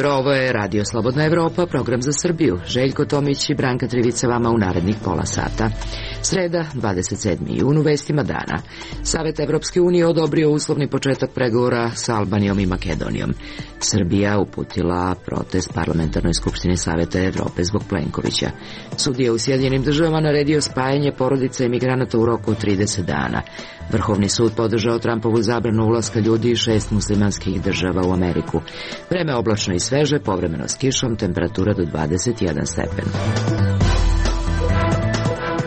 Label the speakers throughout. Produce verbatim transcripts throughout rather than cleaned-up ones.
Speaker 1: Ovo je Radio Slobodna Evropa, program za Srbiju. Željko Tomić i Branka Trivica vama u narednih pola sata. Sreda, dvadeset sedmi jun, u vestima dana. Savet Evropske unije odobrio uslovni početak pregovora sa Albanijom i Makedonijom. Srbija uputila protest Parlamentarnoj skupštini Saveta Evrope zbog Plenkovića. Sudija u Sjedinjenim državama naredio spajanje porodica imigranata u roku od trideset dana. Vrhovni sud podržao Trumpovu zabranu ulaska ljudi iz šest muslimanskih država u Ameriku. Vreme oblačno i sveže, povremeno s kišom, temperatura do dvadeset jedan stepen.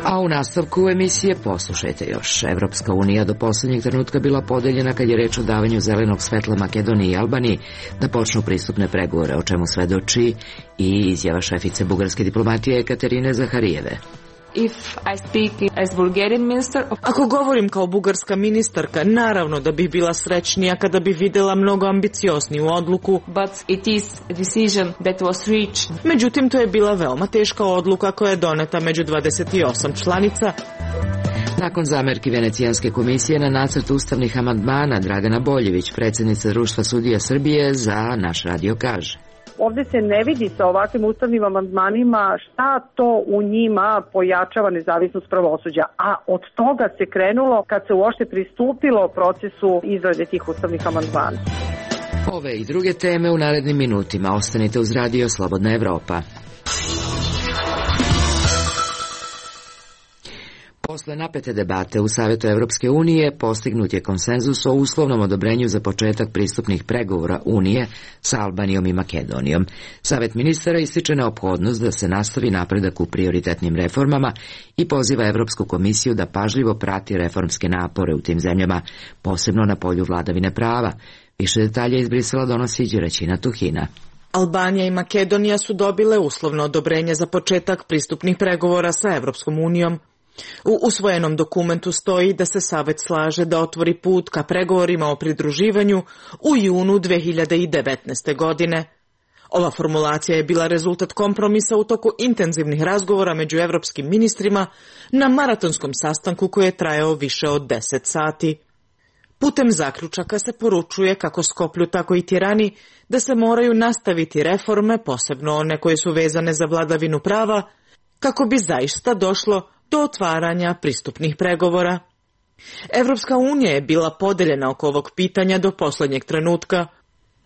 Speaker 1: A u nastavku emisije poslušajte još. Evropska unija do poslednjeg trenutka bila podeljena kad je reč o davanju zelenog svetla Makedoniji i Albaniji da počnu pristupne pregovore, o čemu svedoči i izjava šefice bugarske diplomatije Ekaterine Zaharijeve.
Speaker 2: If I speak as Bulgarian minister...
Speaker 3: Ako govorim kao bugarska ministarka, naravno da bih bila srećnija kada bi videla mnogo ambiciozniju odluku.
Speaker 2: But it is a decision that was reached.
Speaker 3: Međutim, to je bila veoma teška odluka koja je doneta među dvadeset osam članica.
Speaker 1: Nakon zamerki Venecijanske komisije na nacrt ustavnih amandmana, Dragana Boljević, predsjednica Društva sudija Srbije, za naš radio kaže.
Speaker 4: Ovde se ne vidi sa ovakvim ustavnim amandmanima šta to u njima pojačava nezavisnost pravosuđa, a od toga se krenulo kad se uopšte pristupilo procesu izrade tih ustavnih amandmana.
Speaker 1: Ove i druge teme u narednim minutima. Ostanite uz Radio Slobodna Evropa. Posle napete debate u Savetu Evropske unije postignut je konsenzus o uslovnom odobrenju za početak pristupnih pregovora Unije sa Albanijom i Makedonijom. Savet ministara ističe neophodnost da se nastavi napredak u prioritetnim reformama i poziva Evropsku komisiju da pažljivo prati reformske napore u tim zemljama, posebno na polju vladavine prava. Više detalja iz Brisela donosi Đeraćina Tuhina.
Speaker 3: Albanija i Makedonija su dobile uslovno odobrenje za početak pristupnih pregovora sa Evropskom unijom. U usvojenom dokumentu stoji da se Savet slaže da otvori put ka pregovorima o pridruživanju u junu dve hiljade devetnaeste. godine. Ova formulacija je bila rezultat kompromisa u toku intenzivnih razgovora među evropskim ministrima na maratonskom sastanku koji je trajao više od deset sati. Putem zaključaka se poručuje kako Skoplju, tako i Tirani da se moraju nastaviti reforme, posebno one koje su vezane za vladavinu prava, kako bi zaista došlo do otvaranja pristupnih pregovora. Evropska unija je bila podeljena oko ovog pitanja do poslednjeg trenutka.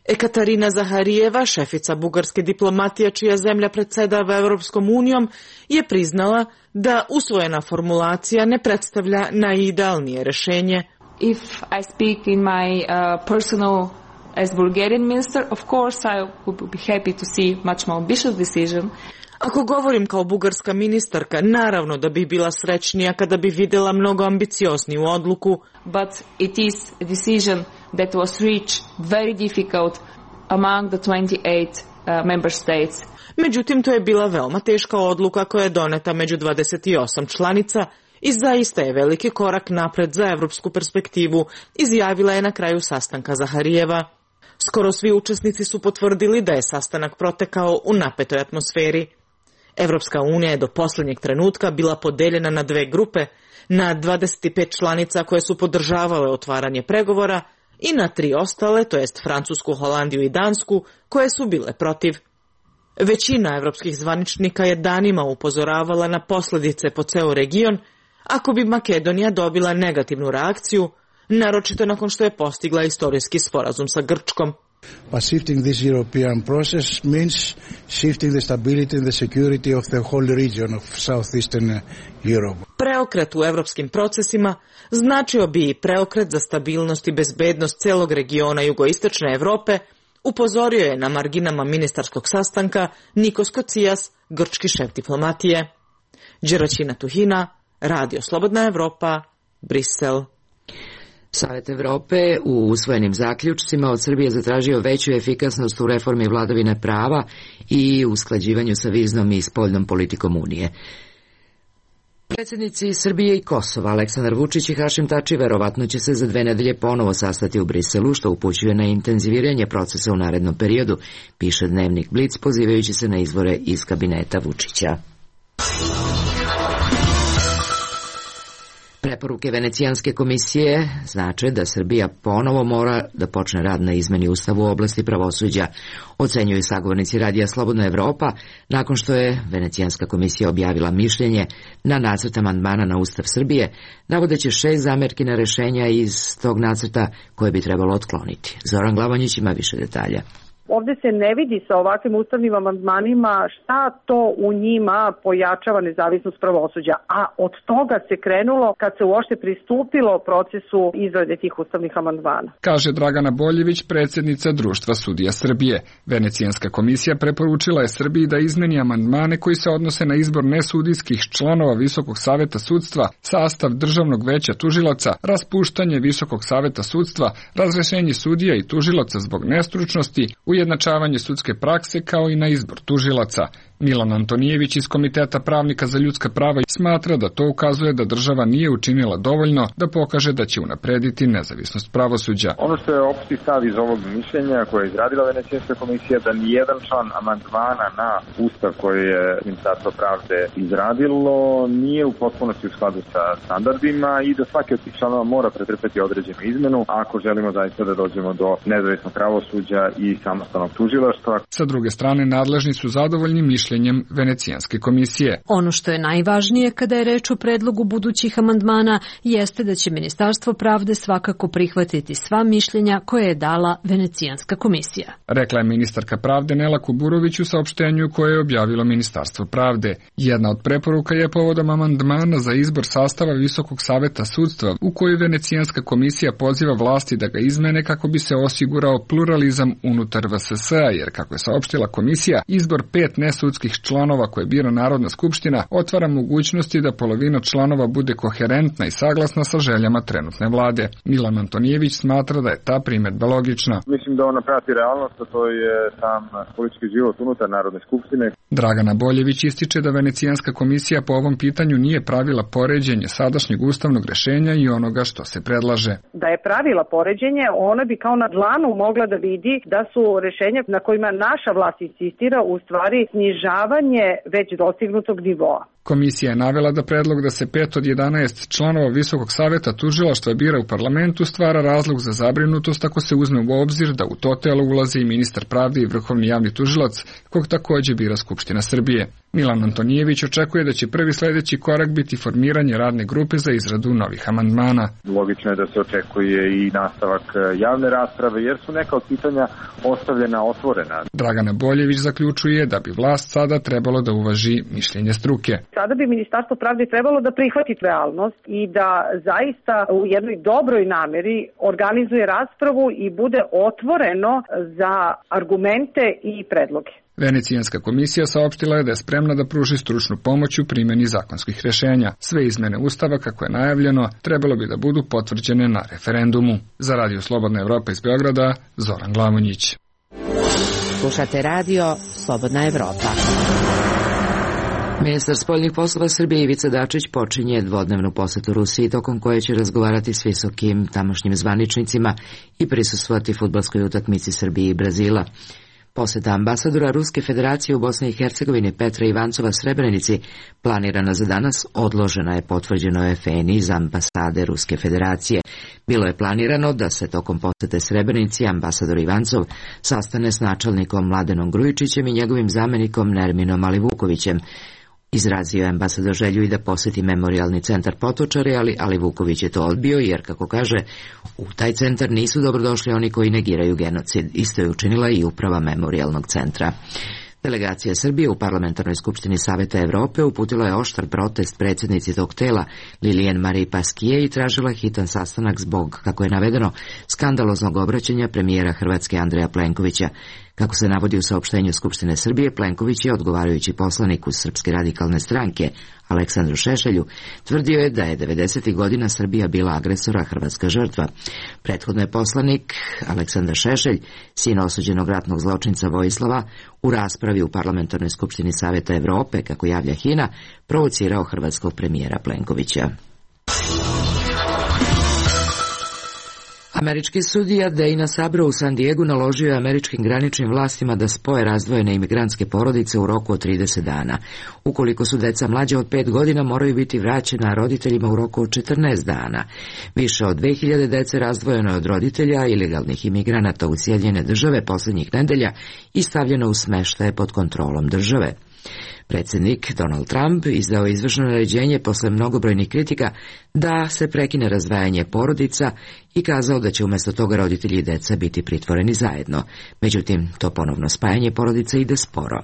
Speaker 3: Ekaterina Zaharijeva, šefica bugarske diplomatije čija zemlja predsedava Evropskom unijom, je priznala da usvojena formulacija ne predstavlja najidealnije rešenje.
Speaker 2: If I speak in my uh, personal as Bulgarian minister, of course I would be happy to see much more ambitious decision.
Speaker 3: Ako govorim kao bugarska ministarka, naravno da bih bila srećnija kada bi videla mnogo ambiciozniju odluku.
Speaker 2: But it is a decision that was reached very difficult among the twenty-eight uh, member states.
Speaker 3: Međutim, to je bila veoma teška odluka koja je doneta među dvadeset osam članica i zaista je veliki korak napred za evropsku perspektivu, izjavila je na kraju sastanka Zaharijeva. Skoro svi učesnici su potvrdili da je sastanak protekao u napetoj atmosferi. Evropska unija je do poslednjeg trenutka bila podeljena na dve grupe, na dvadeset pet članica koje su podržavale otvaranje pregovora i na tri ostale, to jest Francusku, Holandiju i Dansku, koje su bile protiv. Većina evropskih zvaničnika je danima upozoravala na posljedice po ceo region ako bi Makedonija dobila negativnu reakciju, naročito nakon što je postigla istorijski sporazum sa Grčkom.
Speaker 5: But shifting this European process means shifting the stability and the security of the whole region of southeastern Europe.
Speaker 3: Preokret u evropskim procesima značio bi i preokret za stabilnost i bezbednost celog regiona jugoistočne Evrope, upozorio je na marginama ministarskog sastanka Nikos Kocijas, grčki šef diplomatije. Đeraćina Tuhina, Radio Slobodna Evropa, Brisel.
Speaker 1: Savet Evrope u usvojenim zaključcima od Srbije zatražio veću efikasnost u reformi vladavine prava i usklađivanju sa viznom i spoljnom politikom Unije. Predsjednici Srbije i Kosova Aleksandar Vučić i Hašim Tači verovatno će se za dve nedelje ponovo sastati u Briselu, što upućuje na intenziviranje procesa u narednom periodu, piše dnevnik Blic pozivajući se na izvore iz kabineta Vučića. Preporuke Venecijanske komisije znače da Srbija ponovo mora da počne rad na izmeni ustava u oblasti pravosuđa, ocenjuju sagovornici Radija Slobodna Evropa, nakon što je Venecijanska komisija objavila mišljenje na nacrt amandmana na Ustav Srbije, navodeći šest zamerki na rešenja iz tog nacrta koje bi trebalo otkloniti. Zoran Glavonjić ima više detalja.
Speaker 4: Ovde se ne vidi sa ovakvim ustavnim amandmanima šta to u njima pojačava nezavisnost pravosuđa, a od toga se krenulo kad se uopšte pristupilo procesu izrade tih ustavnih amandmana.
Speaker 6: Kaže Dragana Boljević, predsjednica Društva sudija Srbije. Venecijanska komisija preporučila je Srbiji da izmeni amandmane koji se odnose na izbor nesudijskih članova Visokog saveta sudstva, sastav Državnog veća tužilaca, raspuštanje Visokog saveta sudstva, razrešenje sudija i tužilaca zbog nestručnosti, ujednačavanje sudske prakse kao i na izbor tužilaca. Milan Antonijević iz Komiteta pravnika za ljudska prava smatra da to ukazuje da država nije učinila dovoljno da pokaže da će unaprediti nezavisnost pravosuđa.
Speaker 7: Ono što je opšti stav iz ovog mišljenja koje je izradila Venecijanska komisija da nijedan član amandmana na ustav koji je Ministarstvo pravde izradilo nije u potpunosti u skladu sa standardima i da svaki od tih članova mora pretrpeti određenu izmenu ako želimo zaista da dođemo do nezavisnog pravosuđa i samostalnog tužilaštva.
Speaker 6: Sa druge strane, nadležni su zadovoljni mišljenjem Venecijanske komisije.
Speaker 8: Ono što je najvažnije kada je reč o predlogu budućih amandmana jeste da će Ministarstvo pravde svakako prihvatiti sva mišljenja koje je dala Venecijanska komisija.
Speaker 6: Rekla je ministarka pravde Nela Kuburović u saopštenju koje je objavilo Ministarstvo pravde. Jedna od preporuka je povodom amandmana za izbor sastava Visokog saveta sudstva u koju Venecijanska komisija poziva vlasti da ga izmene kako bi se osigurao pluralizam unutar V S S-a, jer kako je saopštila komisija, izbor pet nesudskih članova koje bira Narodna skupština otvara mogućnosti da polovina članova bude koherentna i saglasna sa željama trenutne vlade. Milan Antonijević smatra da je ta primedba logična.
Speaker 7: Mislim da ona prati realnost, a to je sam politički život unutar Narodne skupštine.
Speaker 6: Dragana Boljević ističe da Venecijanska komisija po ovom pitanju nije pravila poređenje sadašnjeg ustavnog rešenja i onoga što se predlaže.
Speaker 4: Da je pravila poređenje, ona bi kao na dlanu mogla da vidi da su rešenja na kojima naša vlast insistira u stvari snižavanje već dostignutog nivoa.
Speaker 6: Komisija je navela da predlog da se pet od jedanaest članova Visokog saveta tužilaštva bira u parlamentu stvara razlog za zabrinutost ako se uzme u obzir da u to telo ulazi i ministar pravde i vrhovni javni tužilac, kog takođe bira Skupština Srbije. Milan Antonijević očekuje da će prvi sledeći korak biti formiranje radne grupe za izradu novih amandmana.
Speaker 7: Logično je da se očekuje i nastavak javne rasprave, jer su neka od pitanja ostavljena otvorena.
Speaker 6: Dragana Boljević zaključuje da bi vlast sada trebalo da uvaži mišljenje struke.
Speaker 4: Sada bi Ministarstvo pravde trebalo da prihvati realnost i da zaista u jednoj dobroj nameri organizuje raspravu i bude otvoreno za argumente i predloge.
Speaker 6: Venecijanska komisija saopštila je da je spremna da pruži stručnu pomoć u primjeni zakonskih rešenja. Sve izmene Ustava, kako je najavljeno, trebalo bi da budu potvrđene na referendumu. Za Radio Slobodna Evropa iz Beograda, Zoran Glavonjić.
Speaker 1: Slušate Radio Slobodna Evropa. Ministar spoljnih poslova Srbije Ivica Dačić počinje dvodnevnu posetu Rusiji, tokom koje će razgovarati s visokim tamošnjim zvaničnicima i prisustvovati fudbalskoj utakmici Srbije i Brazila. Poseta ambasadora Ruske federacije u Bosni i Hercegovini Petra Ivancova Srebrenici planirana za danas odložena je, potvrđeno je F N iz ambasade Ruske federacije. Bilo je planirano da se tokom posete Srebrenici ambasador Ivancov sastane s načelnikom Mladenom Grujičićem i njegovim zamenikom Nerminom Alivukovićem. Izrazio je ambasador želju i da poseti memorialni centar Potočari, ali Alivuković je to odbio jer, kako kaže, u taj centar nisu dobrodošli oni koji negiraju genocid. Isto je učinila i uprava memorialnog centra. Delegacija Srbije u Parlamentarnoj skupštini Saveta Evrope uputila je oštar protest predsjednici tog tela Lilian Marie Pasquier i tražila hitan sastanak zbog, kako je navedeno, skandaloznog obraćanja premijera Hrvatske Andreja Plenkovića. Kako se navodi u saopštenju Skupštine Srbije, Plenković je, odgovarajući poslaniku Srpske radikalne stranke Aleksandru Šešelju, tvrdio je da je devedesetih godina Srbija bila agresora, Hrvatska žrtva. Prethodno je poslanik Aleksandar Šešelj, sin osuđenog ratnog zločinca Vojislava, u raspravi u Parlamentarnoj skupštini Saveta Evrope, kako javlja HINA, provocirao hrvatskog premijera Plenkovića. Američki sudija Dana Sabra u San Diegu naložio je američkim graničnim vlastima da spoje razdvojene imigrantske porodice u roku od trideset dana. Ukoliko su deca mlađe od pet godina, moraju biti vraćena roditeljima u roku od četrnaest dana. Više od dve hiljade dece razdvojeno je od roditelja ilegalnih imigranata u Sjedinjene države poslednjih nedelja i stavljeno u smeštaje pod kontrolom države. Predsjednik Donald Trump izdao je izvršno naređenje posle mnogobrojnih kritika da se prekine razdvajanje porodica i kazao da će umjesto toga roditelji i deca biti pritvoreni zajedno. Međutim, to ponovno spajanje porodica ide sporo.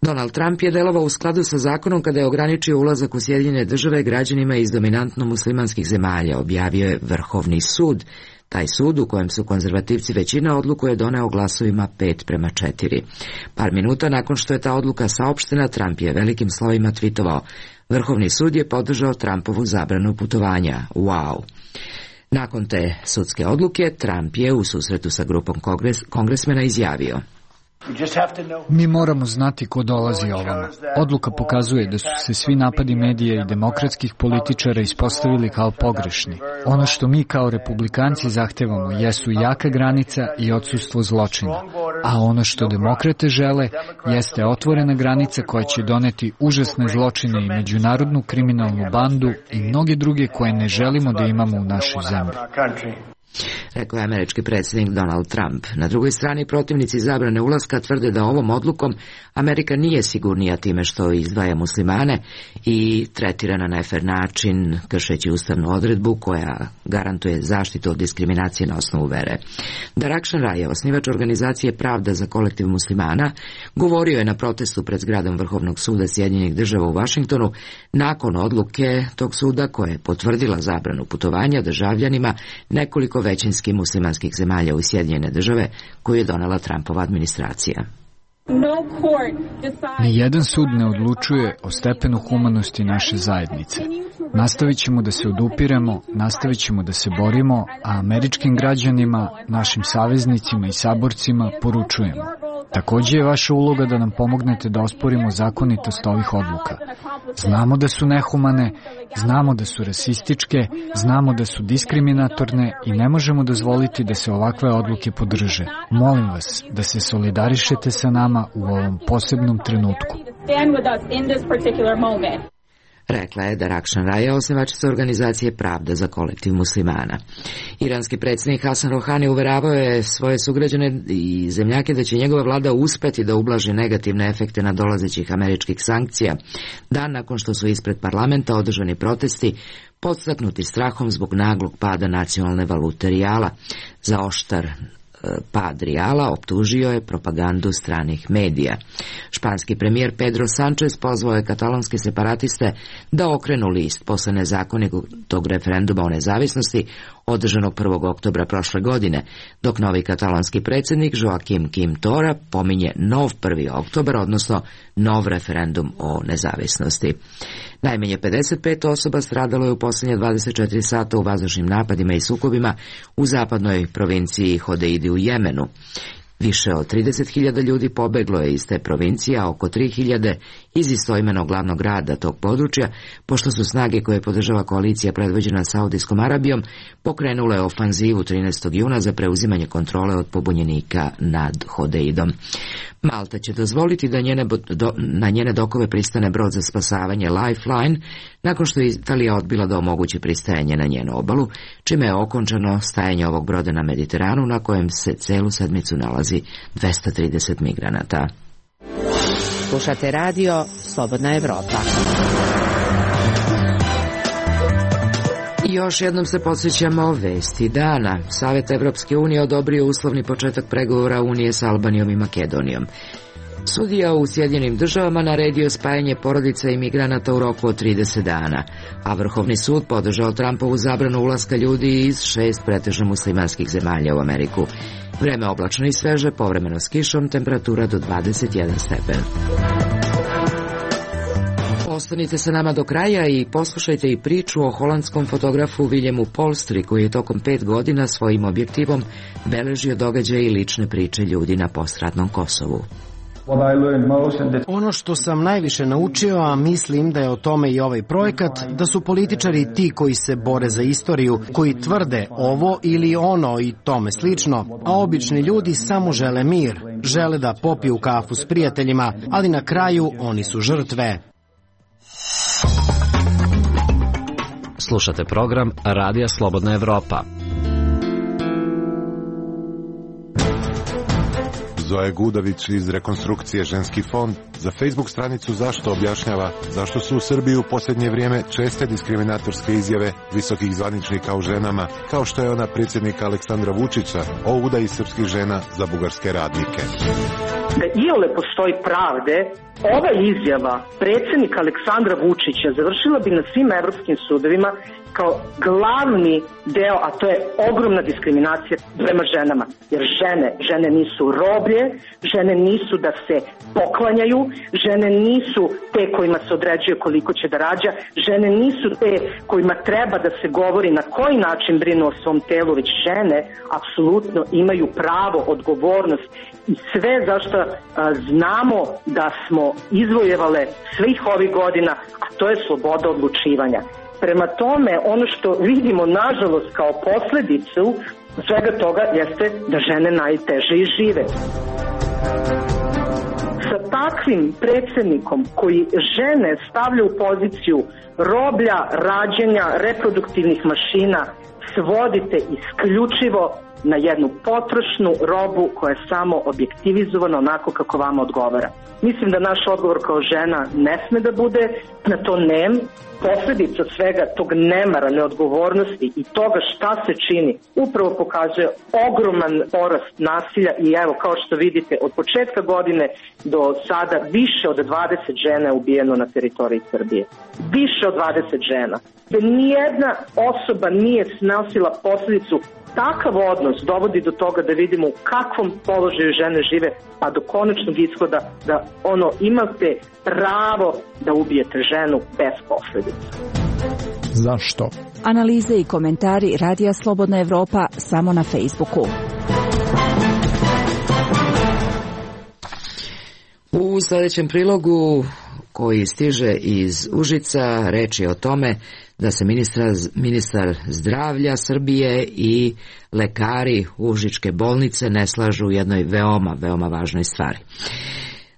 Speaker 1: Donald Trump je delovao u skladu sa zakonom kada je ograničio ulazak u Sjedinjene države građanima iz dominantno muslimanskih zemalja, objavio je Vrhovni sud. Taj sud, u kojem su konzervativci većina, odluku je doneo glasovima pet prema četiri. Par minuta nakon što je ta odluka saopštena, Trump je velikim slovima tvitovao: Vrhovni sud je podržao Trumpovu zabranu putovanja. Wow! Nakon te sudske odluke, Trump je u susretu sa grupom kongres, kongresmena izjavio:
Speaker 9: Mi moramo znati ko dolazi ovamo. Odluka pokazuje da su se svi napadi medija i demokratskih političara ispostavili kao pogrešni. Ono što mi kao republikanci zahtevamo jesu jaka granica i odsustvo zločina. A ono što demokrate žele jeste otvorena granica koja će doneti užasne zločine i međunarodnu kriminalnu bandu i mnoge druge koje ne želimo da imamo u našoj zemlji.
Speaker 1: Rekao je američki predsjednik Donald Trump. Na drugoj strani, protivnici zabrane ulaska tvrde da ovom odlukom Amerika nije sigurnija time što izdvaja muslimane i tretira na nefer način, kršeći ustavnu odredbu koja garantuje zaštitu od diskriminacije na osnovu vere. Darakšan Raja, osnivač organizacije Pravda za kolektiv muslimana, govorio je na protestu pred zgradom Vrhovnog suda Sjedinjenih država u Vašingtonu nakon odluke tog suda koja je potvrdila zabranu putovanja državljanima nekoliko većinskih muslimanskih zemalja u Sjedinjene države koju je donela Trumpova administracija.
Speaker 9: Nijedan sud ne odlučuje o stepenu humanosti naše zajednice. Nastavit ćemo da se odupiremo, nastavit ćemo da se borimo, a američkim građanima, našim saveznicima i saborcima poručujemo: takođe je vaša uloga da nam pomognete da osporimo zakonitost ovih odluka. Znamo da su nehumane, znamo da su rasističke, znamo da su diskriminatorne i ne možemo dozvoliti da se ovakve odluke podrže. Molim vas da se solidarišete sa nama u ovom posebnom trenutku.
Speaker 1: Rekla je Darakšan Raja, osnivačica organizacije Pravda za kolektiv muslimana. Iranski predsjednik Hasan Rohani uveravao je svoje sugrađane i zemljake da će njegova vlada uspeti da ublaži negativne efekte nadolazećih američkih sankcija, dan nakon što su ispred parlamenta održani protesti podstaknuti strahom zbog naglog pada nacionalne valute rijala. Za oštar pad rijala optužio je propagandu stranih medija. Španski premijer Pedro Sanchez pozvao je katalonske separatiste da okrenu list posle nezakonitog referenduma o nezavisnosti održanog prvog oktobra prošle godine, dok novi katalonski predsjednik Joaquim Quim Torra pominje nov prvi oktobar, odnosno nov referendum o nezavisnosti. Najmanje pedeset pet osoba stradalo je u posljednje dvadeset četiri sata u vazdušnim napadima i sukobima u zapadnoj provinciji Hodeidi u Jemenu. Više od trideset hiljada ljudi pobeglo je iz te provincije, a oko tri hiljade iz istoimenog glavnog grada tog područja, pošto su snage koje podržava koalicija predvođena Saudijskom Arabijom pokrenule ofanzivu trinaestog juna za preuzimanje kontrole od pobunjenika nad Hodeidom. Malta će dozvoliti da njene, do, na njene dokove pristane brod za spasavanje Lifeline, nakon što je Italija odbila da omogući pristajanje na njenu obalu, čime je okončano stajanje ovog broda na Mediteranu, na kojem se celu sedmicu nalazi dvesta trideset migranata.
Speaker 10: Slušate radio Slobodna Evropa.
Speaker 1: I još jednom se podsjećamo vesti dana. Savet Evropske unije odobrio uslovni početak pregovora Unije sa Albanijom i Makedonijom. Sudija u Sjedinjenim državama naredio spajanje porodica i migranata u roku od trideset dana, a Vrhovni sud podržao Trumpovu zabranu ulaska ljudi iz šest pretežno muslimanskih zemalja u Ameriku. Vreme oblačno i sveže, povremeno s kišom, temperatura do dvadeset jedan stepen. Ostanite sa nama do kraja i poslušajte i priču o holandskom fotografu Viljemu Polstri, koji je tokom pet godina svojim objektivom beležio događaje i lične priče ljudi na postratnom Kosovu.
Speaker 11: Ono što sam najviše naučio, a mislim da je o tome i ovaj projekat, da su političari ti koji se bore za istoriju, koji tvrde ovo ili ono i tome slično, a obični ljudi samo žele mir, žele da popiju kafu s prijateljima, ali na kraju oni su žrtve.
Speaker 12: Slušate program Radija Slobodna Evropa.
Speaker 13: Zoe Gudavić iz Rekonstrukcije Ženski fond za Facebook stranicu Zašto objašnjava zašto su u Srbiji u posljednje vrijeme česte diskriminatorske izjave visokih zvaničnika o ženama, kao što je ona predsjednika Aleksandra Vučića o udaji srpskih žena za bugarske radnike.
Speaker 4: Da iole postoji pravde, ova izjava predsjednika Aleksandra Vučića završila bi na svim evropskim sudovima kao glavni deo, a to je ogromna diskriminacija prema ženama. Jer žene, žene nisu roblje, žene nisu da se poklanjaju, žene nisu te kojima se određuje koliko će da rađa, žene nisu te kojima treba da se govori na koji način brinu o svom telu, već žene apsolutno imaju pravo, odgovornost i sve zašto a, znamo da smo izvojevale svih ovih godina, a to je sloboda odlučivanja. Prema tome, ono što vidimo, nažalost, kao posledicu svega toga jeste da žene najteže i žive. Sa takvim predsjednikom koji žene stavlja u poziciju roblja, rađenja, reproduktivnih mašina, svodite isključivo na jednu potrošnu robu koja je samo objektivizovana onako kako vama odgovara. Mislim da naš odgovor kao žena ne sme da bude na to nem. Posljedica svega tog nemara, neodgovornosti i toga šta se čini upravo pokazuje ogroman porast nasilja i evo kao što vidite od početka godine do sada više od dvadeset žena je ubijeno na teritoriji Srbije. Više od dvadeset žena. Da nijedna osoba nije snosila posljedicu. Takav odnos dovodi do toga da vidimo u kakvom položaju žene žive, pa do konačnog ishoda da ono imate pravo da ubijete ženu bez posljedica.
Speaker 14: Zašto?
Speaker 15: Analize i komentari Radija Slobodna Evropa samo na Facebooku.
Speaker 1: U sljedećem prilogu koji stiže iz Užica reč je o tome da se ministra, ministar zdravlja Srbije i lekari Užičke bolnice ne slažu u jednoj veoma, veoma važnoj stvari.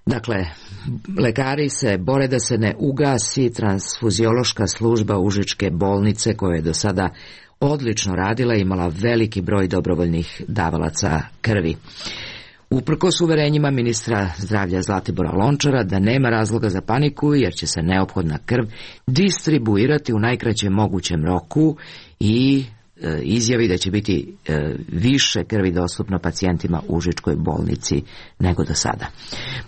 Speaker 1: Dakle, lekari se bore da se ne ugasi transfuziološka služba Užičke bolnice koja je do sada odlično radila i imala veliki broj dobrovoljnih davalaca krvi. Uprkos uverenjima ministra zdravlja Zlatibora Lončara da nema razloga za paniku jer će se neophodna krv distribuirati u najkraćem mogućem roku i e, izjavi da će biti e, više krvi dostupno pacijentima u Užičkoj bolnici nego do sada.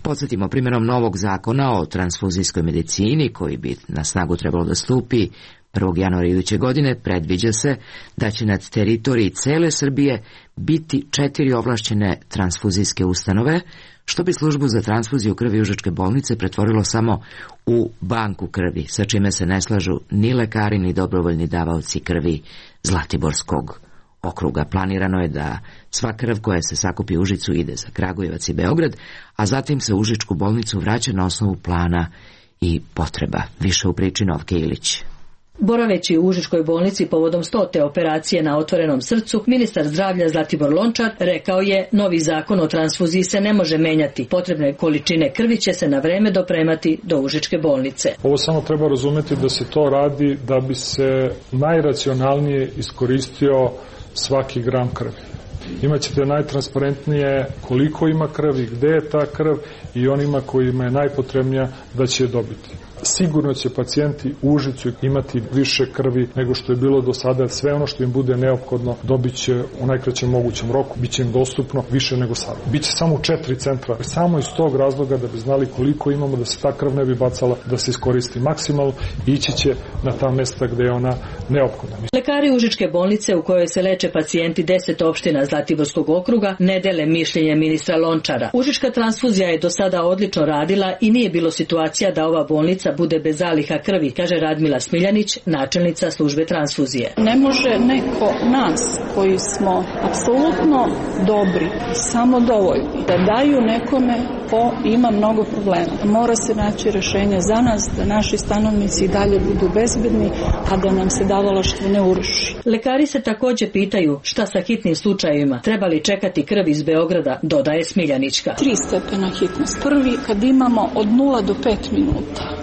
Speaker 1: Podsjetimo, primjenom novog zakona o transfuzijskoj medicini koji bi na snagu trebalo da stupi prvog januara iduće godine, predviđa se da će nad teritoriji cele Srbije biti četiri ovlašćene transfuzijske ustanove, što bi službu za transfuziju krvi Užičke bolnice pretvorilo samo u banku krvi, sa čime se ne slažu ni lekari ni dobrovoljni davaoci krvi Zlatiborskog okruga. Planirano je da sva krv koja se sakupi u Užicu ide za Kragujevac i Beograd, a zatim se u Užičku bolnicu vraća na osnovu plana i potreba. Više u priči Novke Ilić.
Speaker 16: Boraveći u Užičkoj bolnici povodom stote operacije na otvorenom srcu, ministar zdravlja Zlatibor Lončar rekao je novi zakon o transfuziji se ne može menjati. Potrebne količine krvi će se na vreme dopremati do Užičke bolnice.
Speaker 14: Ovo samo treba razumeti da se to radi da bi se najracionalnije iskoristio svaki gram krvi. Imaćete najtransparentnije koliko ima krvi, gde je ta krv i onima kojima je najpotrebnija da će je dobiti. sigurno će pacijenti u Užicu imati više krvi nego što je bilo do sada. Sve ono što im bude neophodno dobit će u najkraćem mogućem roku, bit će im dostupno više nego sada. Biće samo u četiri centra, samo iz tog razloga da bi znali koliko imamo, da se ta krv ne bi bacala, da se iskoristi maksimalno i ići će na ta mesta gde je ona neophodna.
Speaker 16: Lekari Užičke bolnice u kojoj se leče pacijenti deset opština Zlatiborskog okruga ne dele mišljenje ministra Lončara. Užička transfuzija je do sada odlično radila i nije bilo situacija da ova bolnica bude bez zaliha krvi, kaže Radmila Smiljanić, načelnica službe transfuzije.
Speaker 17: Ne može neko nas koji smo apsolutno dobri, samo dovoljni, da daju nekome ko ima mnogo problema. Mora se naći rešenje za nas, da naši stanovnici i dalje budu bezbedni, a da nam se davalaštvo ne uruši.
Speaker 16: Lekari se takođe pitaju šta sa hitnim slučajevima, treba li čekati krv iz Beograda, dodaje Smiljanićka.
Speaker 17: Tri stepena hitnost. Prvi kad imamo od nula do pet minuta.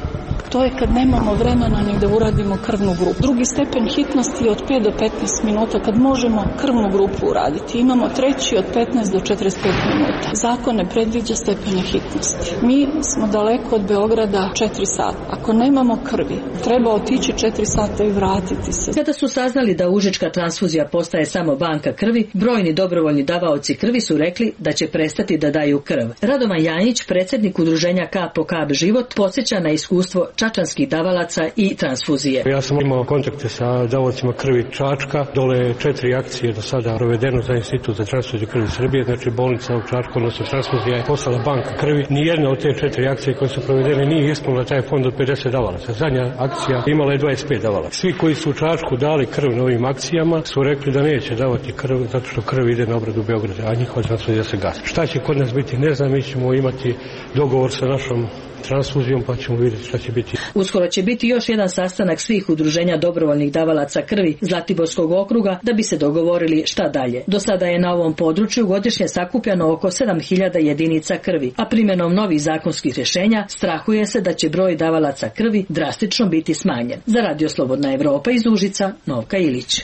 Speaker 17: To je kad nemamo vremena ni da uradimo krvnu grupu. Drugi stepen hitnosti je od pet do petnaest minuta kad možemo krvnu grupu uraditi. Imamo treći od petnaest do četrdeset pet minuta. Zakon ne predviđa stepene hitnosti. Mi smo daleko od Beograda četiri sata. Ako nemamo krvi, treba otići četiri sata i vratiti se.
Speaker 16: Kada su saznali da užička transfuzija postaje samo banka krvi, brojni dobrovoljni davaoci krvi su rekli da će prestati da daju krv. Radovan Janjić, predsjednik udruženja Kap po kap život, podsjeća na iskustvo čačanskih davalaca i transfuzije.
Speaker 18: Ja sam imao kontakte sa davacima krvi Čačka, dole četiri akcije do sada provedeno za Institut za transfuziju krvi Srbije, znači bolnica u Čačku, odnosno transfuzija je postala banka krvi. Nijedna od te četiri akcije koje su provedene nije ispunila taj fond od pedeset davalaca. Zadnja akcija imala je dvadeset pet davalaca. Svi koji su u Čačku dali krv na ovim akcijama su rekli da neće davati krv zato što krv ide na obradu Beograda, a njihova transfuzija se gasi. Šta će kod nas biti, ne znam, mi ćemo imati dogovor sa našom transfuzijom pa ćemo vidjeti šta će biti.
Speaker 16: Uskoro će biti još jedan sastanak svih udruženja dobrovoljnih davalaca krvi Zlatiborskog okruga da bi se dogovorili šta dalje. Do sada je na ovom području godišnje sakupljano oko sedam hiljada jedinica krvi, a primjenom novih zakonskih rješenja strahuje se da će broj davalaca krvi drastično biti smanjen. Za Radio Slobodna Evropa iz Užica, Novka Ilić.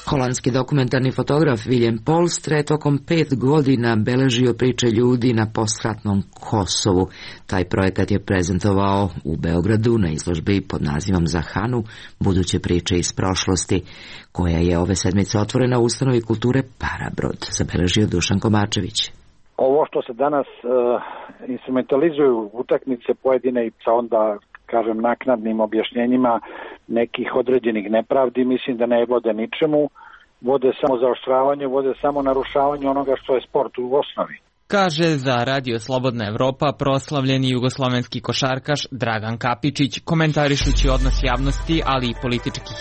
Speaker 1: Holandski dokumentarni fotograf William Polstre tokom pet godina beležio priče ljudi na postratnom Kosovu. Taj projekat je prezentovao u Beogradu na izložbi pod nazivom Za Hanu, buduće priče iz prošlosti, koja je ove sedmice otvorena u ustanovi kulture Parabrod, zabeležio Dušan Komačević.
Speaker 19: Ovo što se danas uh, instrumentalizuju utakmice pojedine i sa onda kažem naknadnim objašnjenjima nekih određenih nepravdi, mislim da ne vode ničemu, vode samo zaoštravanje, vode samo narušavanje onoga što je sport u osnovi.
Speaker 20: Kaže za Radio Slobodna Evropa proslavljeni jugoslovenski košarkaš Dragan Kapičić, komentarišući odnos javnosti, ali i političkih.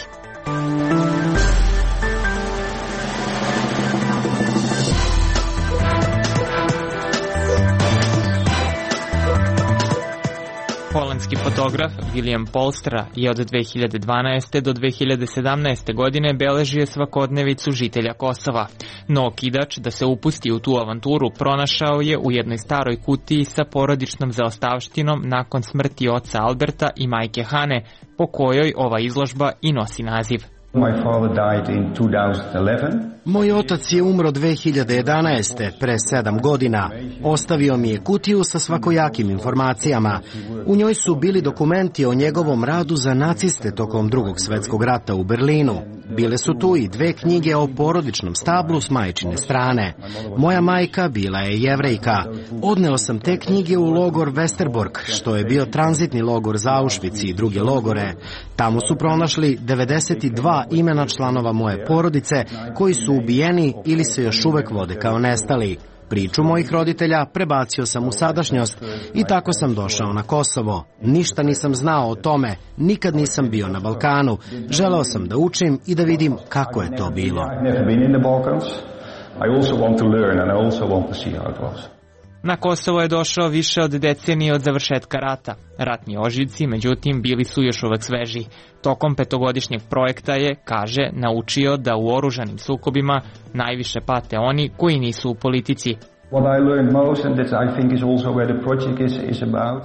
Speaker 20: Holandski fotograf William Polstra je od dve hiljade dvanaeste. do dve hiljade sedamnaeste. godine beležio svakodnevicu žitelja Kosova. No okidač da se upusti u tu avanturu pronašao je u jednoj staroj kutiji sa porodičnom zaostavštinom nakon smrti oca Alberta i majke Hane, po kojoj ova izložba i nosi naziv.
Speaker 11: Moj otac je umro dve hiljade jedanaeste. pre sedam godina. Ostavio mi je kutiju sa svakojakim informacijama. U njoj su bili dokumenti o njegovom radu za naciste tokom drugog svetskog rata u Berlinu. Bile su tu i dve knjige o porodičnom stablu s majčine strane. Moja majka bila je Jevrejka. Odneo sam te knjige u logor Westerbork, što je bio tranzitni logor za Auschwitz i druge logore. Tamo su pronašli devedeset dva imena članova moje porodice koji su ubijeni ili se još uvek vode kao nestali. Priču mojih roditelja prebacio sam u sadašnjost i tako sam došao na Kosovo. Ništa nisam znao o tome, nikad nisam bio na Balkanu. Želeo sam da učim i da vidim kako je to bilo.
Speaker 20: Na Kosovo je došao više od decenije od završetka rata. Ratni ožiljci, međutim, bili su još uvek sveži. Tokom petogodišnjeg projekta je, kaže, naučio da u oružanim sukobima najviše pate oni koji nisu u politici.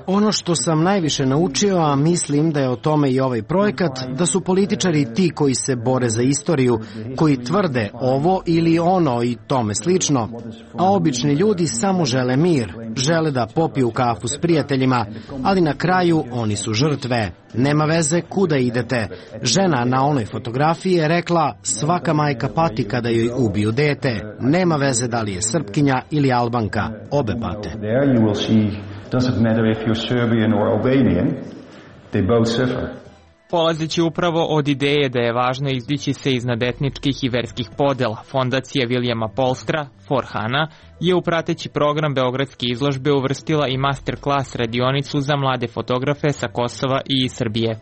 Speaker 11: Ono što sam najviše naučio, a mislim da je o tome i ovaj projekat, da su političari ti koji se bore za istoriju, koji tvrde ovo ili ono i tome slično, a obični ljudi samo žele mir, žele da popiju kafu s prijateljima, ali na kraju oni su žrtve. Nema veze kuda idete. Žena na onoj fotografiji je rekla svaka majka pati kada joj ubiju dete. Nema veze da li je Srpkinja ili Albanka. Obe pate.
Speaker 20: Polazeći upravo od ideje da je važno izdići se iznad etničkih i verskih podela, fondacija Vilijama Polstra, Forhana, je u prateći program Beogradske izložbe uvrstila i masterclass radionicu za mlade fotografe sa Kosova i Srbije.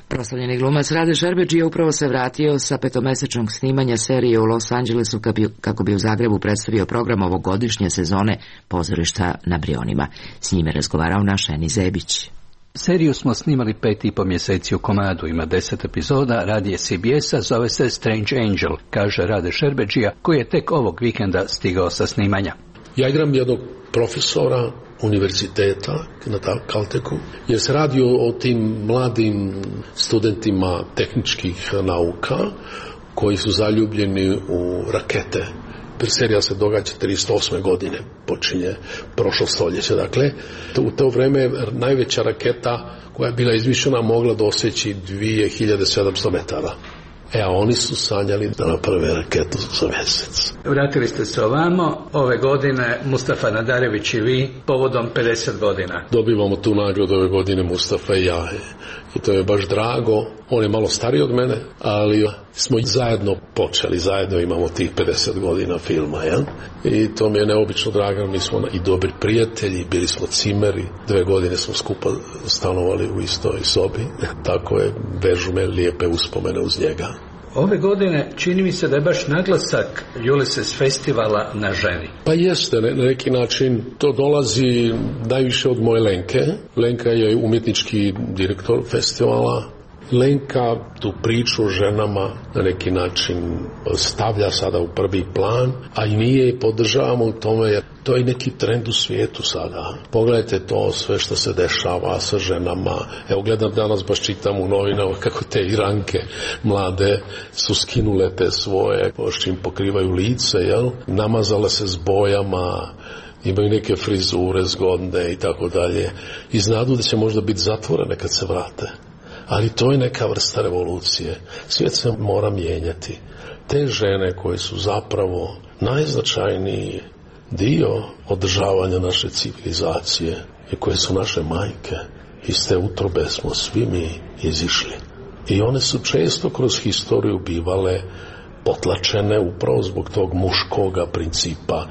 Speaker 1: Proslavljeni glumac Rade Šerbedžija upravo se vratio sa petomesečnog snimanja serije u Los Angelesu kako bi u Zagrebu predstavio program ovogodišnje sezone Pozorišta na Brionima. S njime razgovarao naš Eni Zebić.
Speaker 21: Seriju smo snimali pet i po mjeseci u komadu, ima deset epizoda, radi je C B S-a, zove se Strange Angel, kaže Rade Šerbedžija, koji je tek ovog vikenda stigao sa snimanja.
Speaker 22: Ja igram jednog profesora univerziteta na Caltechu, jer se radi o tim mladim studentima tehničkih nauka koji su zaljubljeni u rakete. Serija se događa tristo osme godine, počinje prošlo stoljeće. Dakle, u to vreme najveća raketa koja je bila izmišljena mogla doseći dvije hiljade sedamsto metara. E, a oni su sanjali da naprave raketu za mjesec.
Speaker 21: Vratili ste se ovamo, ove godine Mustafa Nadarević i vi, povodom pedeset godina.
Speaker 22: Dobivamo tu nagradu ove godine Mustafa i ja. I to je baš drago. On je malo stariji od mene, ali smo zajedno počeli, zajedno imamo tih pedeset godina filma, jel? I to mi je neobično drago, mi smo i dobri prijatelji, bili smo cimeri, dve godine smo skupa stanovali u istoj sobi, tako je, vežu me lijepe uspomene uz njega.
Speaker 21: Ove godine čini mi se da je baš naglasak Ulysses festivala na ženi.
Speaker 22: Pa jeste, na neki način to dolazi najviše od moje Lenke. Lenka je umjetnički direktor festivala. Lenka tu priču o ženama na neki način stavlja sada u prvi plan, a i mi je podržavamo u tome jer to je neki trend u svijetu sada. Pogledajte to sve što se dešava sa ženama. Evo gledam danas, baš čitam u novinama kako te Iranke mlade su skinule te svoje, s čim pokrivaju lice, jel? Namazale se s bojama, imaju neke frizure zgodne i tako dalje. I znadu da će možda biti zatvorene kad se vrate. Ali to je neka vrsta revolucije. Svijet se mora mijenjati. Te žene koje su zapravo najznačajniji dio održavanja naše civilizacije i koje su naše majke, iz te utrobe smo svi mi izišli. I one su često kroz historiju bivale potlačene upravo zbog tog muškoga principa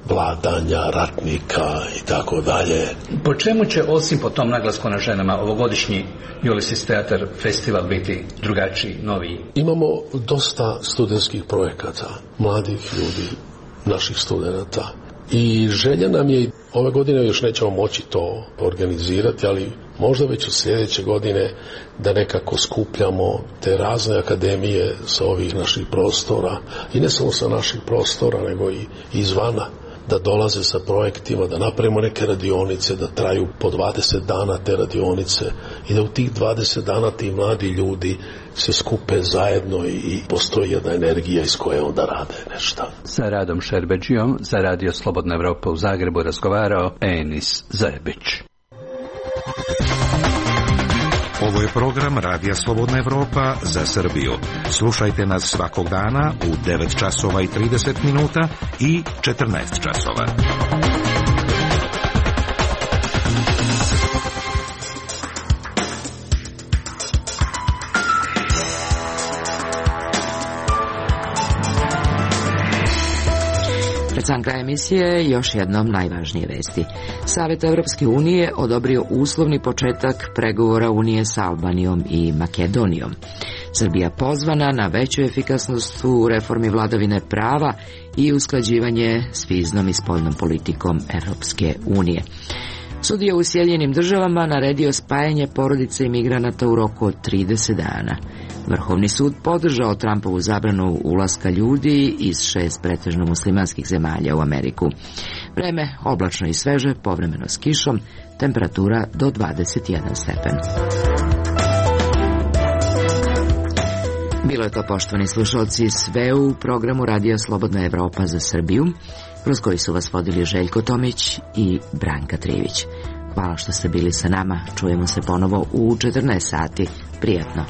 Speaker 22: vladanja, ratnika i tako dalje.
Speaker 21: Po čemu će, osim po tom naglasku na ženama, ovogodišnji Ulysses Theater festival biti drugačiji, noviji?
Speaker 22: Imamo dosta studentskih projekata, mladih ljudi, naših studenata. I želja nam je, ove godine još nećemo moći to organizirati, ali možda već od sljedeće godine da nekako skupljamo te razne akademije sa ovih naših prostora i ne samo sa naših prostora, nego i izvana, da dolaze sa projektima, da napravimo neke radionice, da traju po dvadeset dana te radionice i da u tih dvadeset dana ti mladi ljudi se skupe zajedno i postoji jedna energija iz koje onda rade nešto.
Speaker 21: Sa Radom Šerbedžijom za Radio Slobodna Evropa u Zagrebu razgovarao Enis Zebić.
Speaker 23: Ovo je program Radija Slobodna Evropa za Srbiju. Slušajte nas svakog dana u devet časova i trideset minuta i četrnaest časova.
Speaker 1: Pred sam kraj emisije još jednom najvažnije vesti. Savet Evropske unije odobrio uslovni početak pregovora Unije sa Albanijom i Makedonijom. Srbija pozvana na veću efikasnost u reformi vladavine prava i usklađivanje s viznom i spoljnom politikom Evropske unije. Sudija u Sjedinjenim Državama naredio spajanje porodice imigranata u roku od trideset dana. Vrhovni sud podržao Trumpovu zabranu ulaska ljudi iz šest pretežno muslimanskih zemalja u Ameriku. Vreme oblačno i sveže, povremeno s kišom, temperatura do dvadeset jedan stepen. Bilo je to, poštovani slušalci, sve u programu Radija Slobodna Evropa za Srbiju, kroz koji su vas vodili Željko Tomić i Branka Trivić. Hvala što ste bili sa nama. Čujemo se ponovo u četrnaest sati. Prijatno.